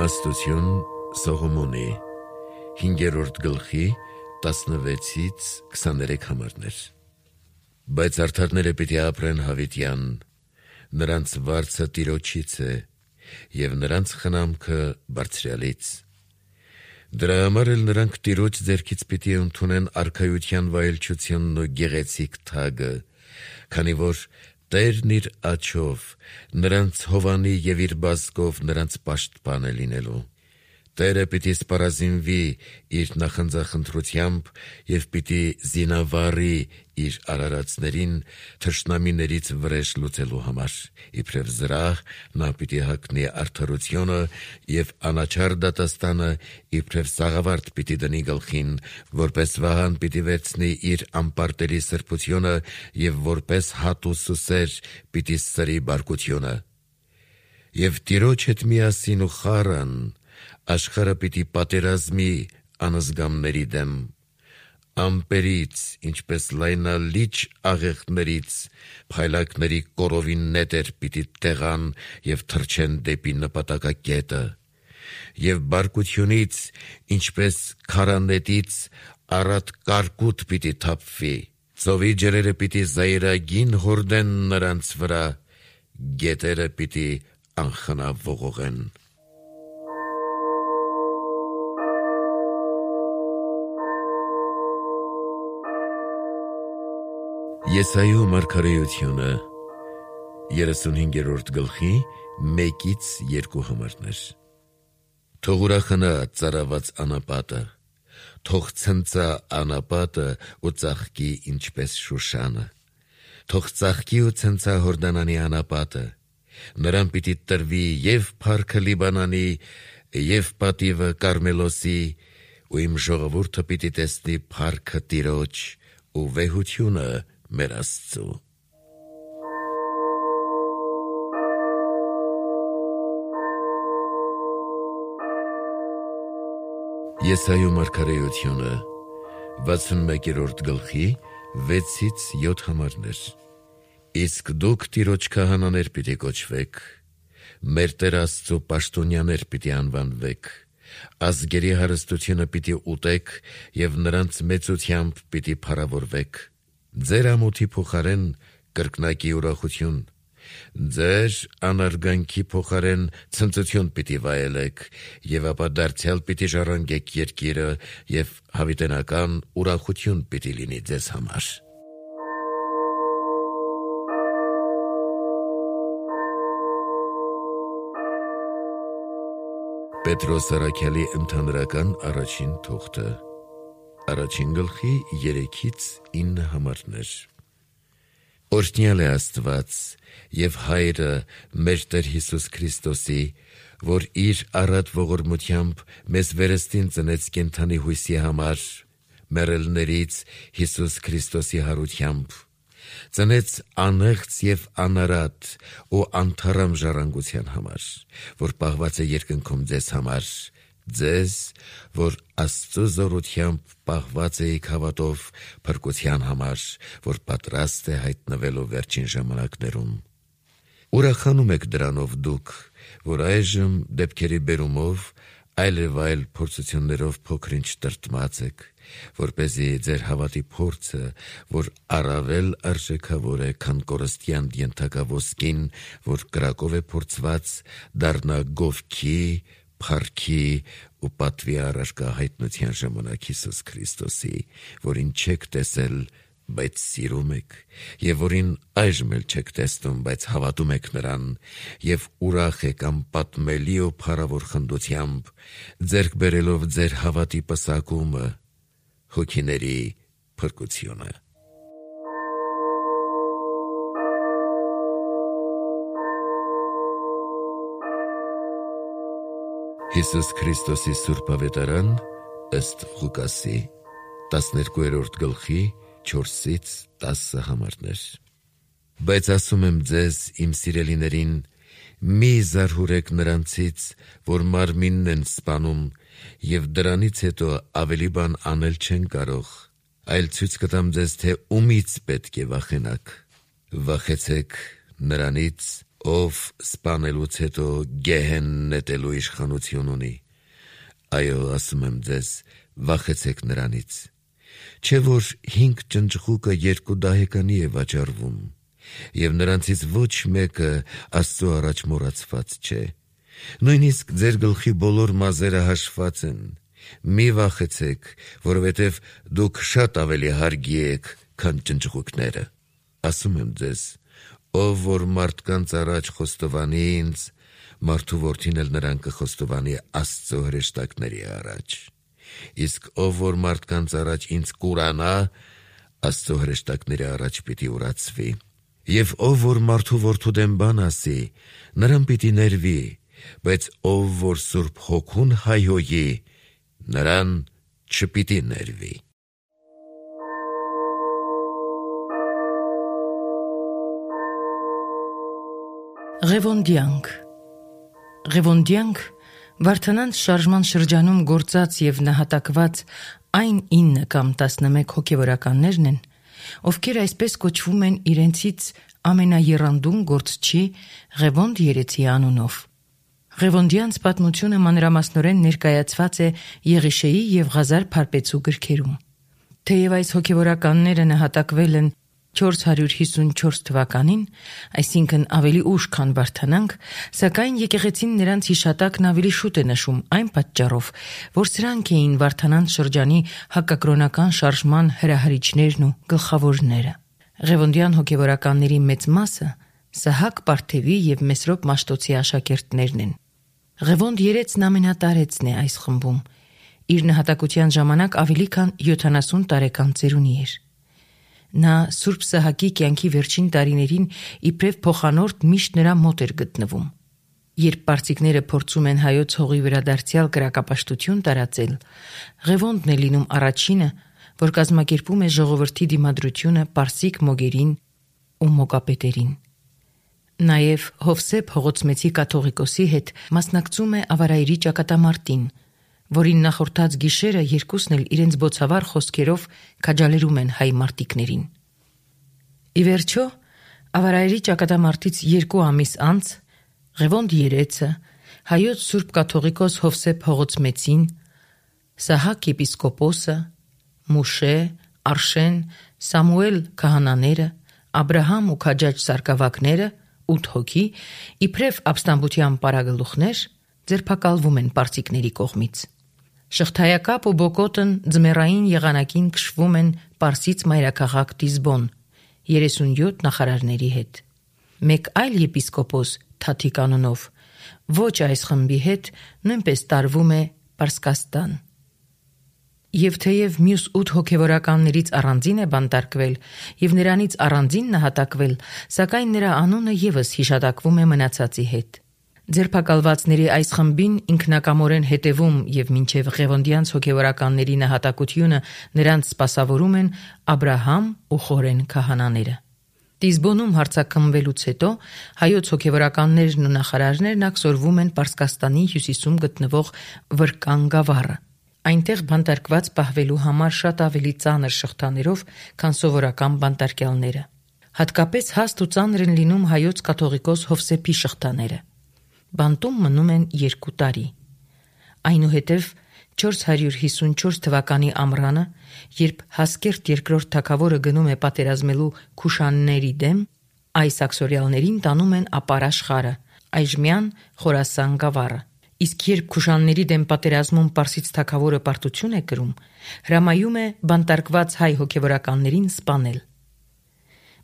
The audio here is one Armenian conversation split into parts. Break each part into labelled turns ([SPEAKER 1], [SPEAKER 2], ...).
[SPEAKER 1] Իմաստություն Սողոմոնի 5-րդ գլխի 16-ից 23 համարներ։ Բայց արդարները պիտի ապրեն հավիտյան, նրանց վարձը Տիրոջից է, և նրանց խնամքը Բարձրյալից։ Դրա համար էլ նրանք Տիրոջ ձեռքից պիտի ընդունեն արքայության վայելչությունն ու գեղեցիկ թագը, քանի որ Տերն իր աջով նրանց հովանի և իր բազկով նրանց պաշտպան է լինելու։ Տերը պիտի սպառազինվի իր նախանձախնդրությամբ և պիտի զինավառի իր արարածներին թշնամիներից վրեժ լուծելու համար։ Իբրև զրահ նա պիտի հագնի արդարությունը և անաչառ դատաստանը իբրև սաղավարտ պիտի դնի գլխին, որպես վահան պիտի վերցնի իր անպարտելի սրբությունը և որպես հատ ու սուսեր պիտի սրի բարկությունը։ Եվ Տիրոջ հետ միասին ու խառան աշխարհը պիտի պատերազմի անզգամների դեմ, ամպերից, ինչպես լայնալիճ աղեղներից, փայլակների կորովին նետեր պիտի տեղան և թռչեն դեպի նպատակակետը, և բարկությունից, ինչպես քարանետից, առատ կարկուտ պիտի թափվի, ծովի ջրերը պիտի զայրագին հորդեն նրանց վրա, գետերը պիտի անխնա ողողեն։ Եսայու մարգարեությունը 35-րդ գլխի 1-2 համարներ։ Թող ուրախանա ծարաված անապատը, թող ցնծա անապատը ու ծաղկի ինչպես Շուշանը, թող ծաղկի ու ցնծա Հորդանանի անապատը, նրան պիտի տրվի և փառքը Լիբանանի, և պատիվը Կարմելոսի, ու իմ ժողովուրդը պիտի տեսնի փառքը Տիրոջ ու վեհությունը մեր Աստծու։ Եսայու մարգարեությունը 61-րդ գլխի 6-7 համարներ։ Իսկ դուք Տիրոջ քահանաներ պիտի կոչվեք, մեր Տեր Աստծու պաշտոնյաներ պիտի անվանվեք, ազգերի հարստությունը պիտի ուտեք և նրանց մեծությամբ պիտի փառավորվեք, ձեր ամոթի փոխարեն կրկնակի ուրախություն, ձեր անարգանքի փոխարեն ցնծություն պիտի վայելեք, և ապա դարձյալ պիտի ժառանգեք երկիրը, և հավիտենական ուրախություն պիտի լինի ձեզ համար։ Պետրոս առաքյալի ընդհանրական առաջին թուղթը 1 գլխի 3-ից 9 համարներ։ Օրհնյալ է Աստված և Հայրը մեր Տեր Հիսուս Քրիստոսի, որ իր առատ ողորմությամբ մեզ վերստին ծնեց կենդանի հույսի համար, մեռելներից Հիսուս Քրիստոսի հարությամբ, ծնեց անեղծ և անարատ ու անթառամ ժառանգության համար, որ պահված է երկնքում ձեզ համար, ձեզ, որ Աստծու զորությամբ պահված էիք հավատով փրկության համար, որ պատրաստ է հայտնվելու վերջին ժամանակներում։ Ուրախանում եք դրանով դուք, որ այժմ դեպքերի բերումով այլև այլ փորձություններով փոքր-ինչ տրտմած եք, որպեսզի ձեր հավատի փորձը, որ առավել արժեքավոր է, քան կորստյան ենթակա ոսկին, որ կրակով է փորձված, դառնա գովքի, փառքի ու պատվի առարկա հայտնության ժամանակ Հիսուս Քրիստոսի, որին չեք տեսել, բայց սիրում եք, և որին այժմ էլ չեք տեսնում, բայց հավատում եք նրան, և ուրախ եք անպատմելի ու փառավոր խնդությամբ, ձեռք բերելով ձեր հավատի պսակումը, հոգիների փրկությունը։ Հիսուս Քրիստոսի Սուրբ Ավետարան ըստ Ղուկասի 12-րդ գլխի 4-ից 10 համարներ։ Բայց ասում եմ ձեզ, իմ սիրելիներին, մի զարհուրեք նրանցից, որ մարմինն են սպանում, և դրանից հետո ավելի բան անել չեն կարող, այլ ցույց կտամ ձեզ, թե ումից պետք է վախենաք։ Վախեցեք նրանից, ով սպանելուց հետո գեհեն նետելու իշխանություն ունի։ Այո, ասում եմ ձեզ, վախեցեք նրանից։ Չէ որ 5 ճնճղուկը 2 դահեկանի է վաճառվում, և նրանցից ոչ մեկը Աստծո առաջ մոռացված չէ։ Նույնիսկ ձեր գլխի բոլոր մազերը հաշված են։ Մի վախեցեք, որովհետև դուք շատ ավելի հարգի եք, քան ճնճղուկները։ Ասում եմ ձեզ, ով որ մարդկանց առաջ խոստովանի ինձ, մարդու որդին էլ նրան կխոստովանի Աստծո հրեշտակների առաջ։ Իսկ ով որ մարդկանց առաջ ինձ կուրանա, Աստծո հրեշտակների առաջ պիտի ուրացվի։ Եվ ով որ մարդու որդու դեմ բան ասի, նրան պիտի ներվի, բայց ով որ Սուրբ Հոգուն հայհոյի, նրան չպիտի ներվի։
[SPEAKER 2] Ղևոնդյանք Վարդանանց շարժման շրջանում գործած և նահատակված այն 9 կամ 11 հոգևորականներն են, ովքեր այսպես կոչվում են իրենցից ամենաեռանդուն գործչի Ղևոնդ երեցի անունով։ Ղևոնդյանց պատմությունը մանրամասնորեն ներկայացված է Եղիշեի և Ղազար Փարպեցու գրքերում։ Թեև այս հոգևորականները նահատակվել են 454 թվականին, այսինքն ավելի ուշ քան Վարդանանք, սակայն եկեղեցին նրանց հիշատակն ավելի շուտ է նշում այն պատճառով, որ սրանք էին Վարդանանց շրջանի հակակրոնական շարժման հրահարիչներն ու գլխավորները։ Ղևոնդյան հոգևորականների մեծ մասը Սահակ Պարթևի և Մեսրոպ Մաշտոցի աշակերտներն են։ Ղևոնդ երեցն ամենատարեցն է այս խմբում։ Իր նահատակության ժամանակ ավելի քան 70 տարեկան ծերունի էր։ Նա Սուրբ Սահակի կյանքի վերջին տարիներին իբրև փոխանորդ միշտ նրա մոտ էր գտնվում։ Երբ պարսիկները փորձում են հայոց հողի վրա դարձյալ կրակապաշտություն տարածել, Ղևոնդն է լինում առաջինը, որ կազմակերպում է ժողովրդի դիմադրությունը պարսիկ մոգերին ու մոգապետերին։ Նաև Հովսեփ Հողոցմեցի կաթողիկոսի հետ մասնակցում է Ավարայրի ճակատամարտին, որին նախորդած գիշերը երկուսն էլ իրենց բոցավառ խոսքերով քաջալերում են հայ մարտիկներին։ Ի վերջո, Ավարայրի ճակատամարտից 2 ամիս անց Ղևոնդ երեցը հայոց Սուրբ կաթողիկոս Հովսեփ Հողոցմեցին, Սահակ եպիսկոպոսը, Մուշե, Արշեն, Սամուել քահանաները, Աբրահամ ու քաջաջ սարկավակները 8 հոգի, իբրև ապստամբության պարագլուխներ, ձերբակալվում են պարսիկների կողմից։ Շղթայակապ ու Բոկոտն ձմեռային եղանակին քշվում են Պարսից մայրաքաղաք Դիզբոն 37 նախարարների հետ։ Մեկ այլ եպիսկոպոս Թաթիկ անունով ոչ այս խմբի հետ նույնպես տարվում է Պարսկաստան։ Եվ թեև մյուս 8 հոգևորականներից առանձին է բանտարկվել և նրանից առանձին նահատակվել, սակայն նրա անունը ևս հիշատակվում է մնացածի հետ։ Ձերբակալվածների այս խմբին ինքնակամորեն հետևում և մինչև Ղևոնդյանց հոգևորականների նահատակությունը նրանց սպասավորում են Աբրահամ ու Խորեն քահանաները։ Դիզբոնում հարձակմվելուց հետո հայոց հոգևորականներն ու նախարարներն ակսորվում են Պարսկաստանի հյուսիսում գտնվող Վրկան գավառը։ Այնտեղ բանտարկված պահվելու համար շատ ավելի ծանր շղթաներով, քան սովորական բանտարկյալները։ Հատկապես հաստ ու ծանր են լինում հայոց կաթողիկոս Հովսեփի շղթաները։ Բանտում մնում են 2 տարի։ Այնուհետև 454 թվականի ամռանը, երբ Հասկերտ II թագավորը գնում է պատերազմելու Քուշանների դեմ, այս աքսորյալներին տանում են ապար աշխարհը, այժմյան Խորասան գավառը։ Իսկ երբ Քուշանների դեմ պատերազմում Պարսից թագավորը պարտություն է կրում, հրամայում է բանտարկված հայ հոգևորականներին սպանել։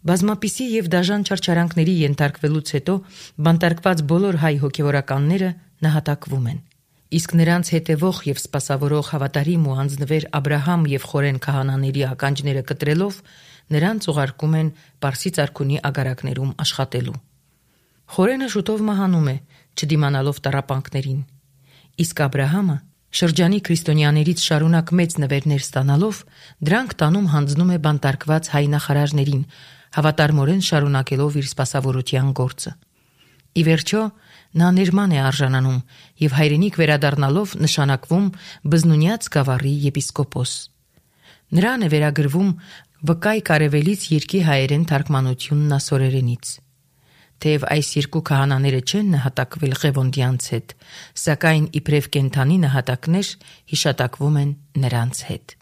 [SPEAKER 2] Բազմապիսի և դաժան չարչարանքների ենթարկվելուց հետո բանտարկված բոլոր հայ հոգևորականները նահատակվում են։ Իսկ նրանց հետևող և սպասավորող հավատարիմ ու անձնվեր Աբրահամ և Խորեն քահանաների ականջները կտրելով նրանց ուղարկում են Պարսից արքունի ագարակներում աշխատելու։ Խորենը շուտով մահանում է, չդիմանալով տառապանքներին։ Իսկ Աբրահամը շրջանի քրիստոնյաներից շարունակ մեծ նվերներ ստանալով դրանք տանում հանձնում է բանտարկված հայ նախարարներին, հավատարմորեն շարունակելով իր սպասավորության գործը։ Ի վերջո նա ներման է արժանանում և հայրենիք վերադառնալով նշանակվում Բզնունյաց գավառի եպիսկոպոս։ Նրան է վերագրվում Վկայ Կարևելից երկի հայերեն թարգմանությունն ասորերենից։ թեև այս երկու քահանաները չեն նահատակվել Ղևոնդյանց հետ, սակայն իբրև կենդանի նահատակներ հիշատակվում են նրանց հետ։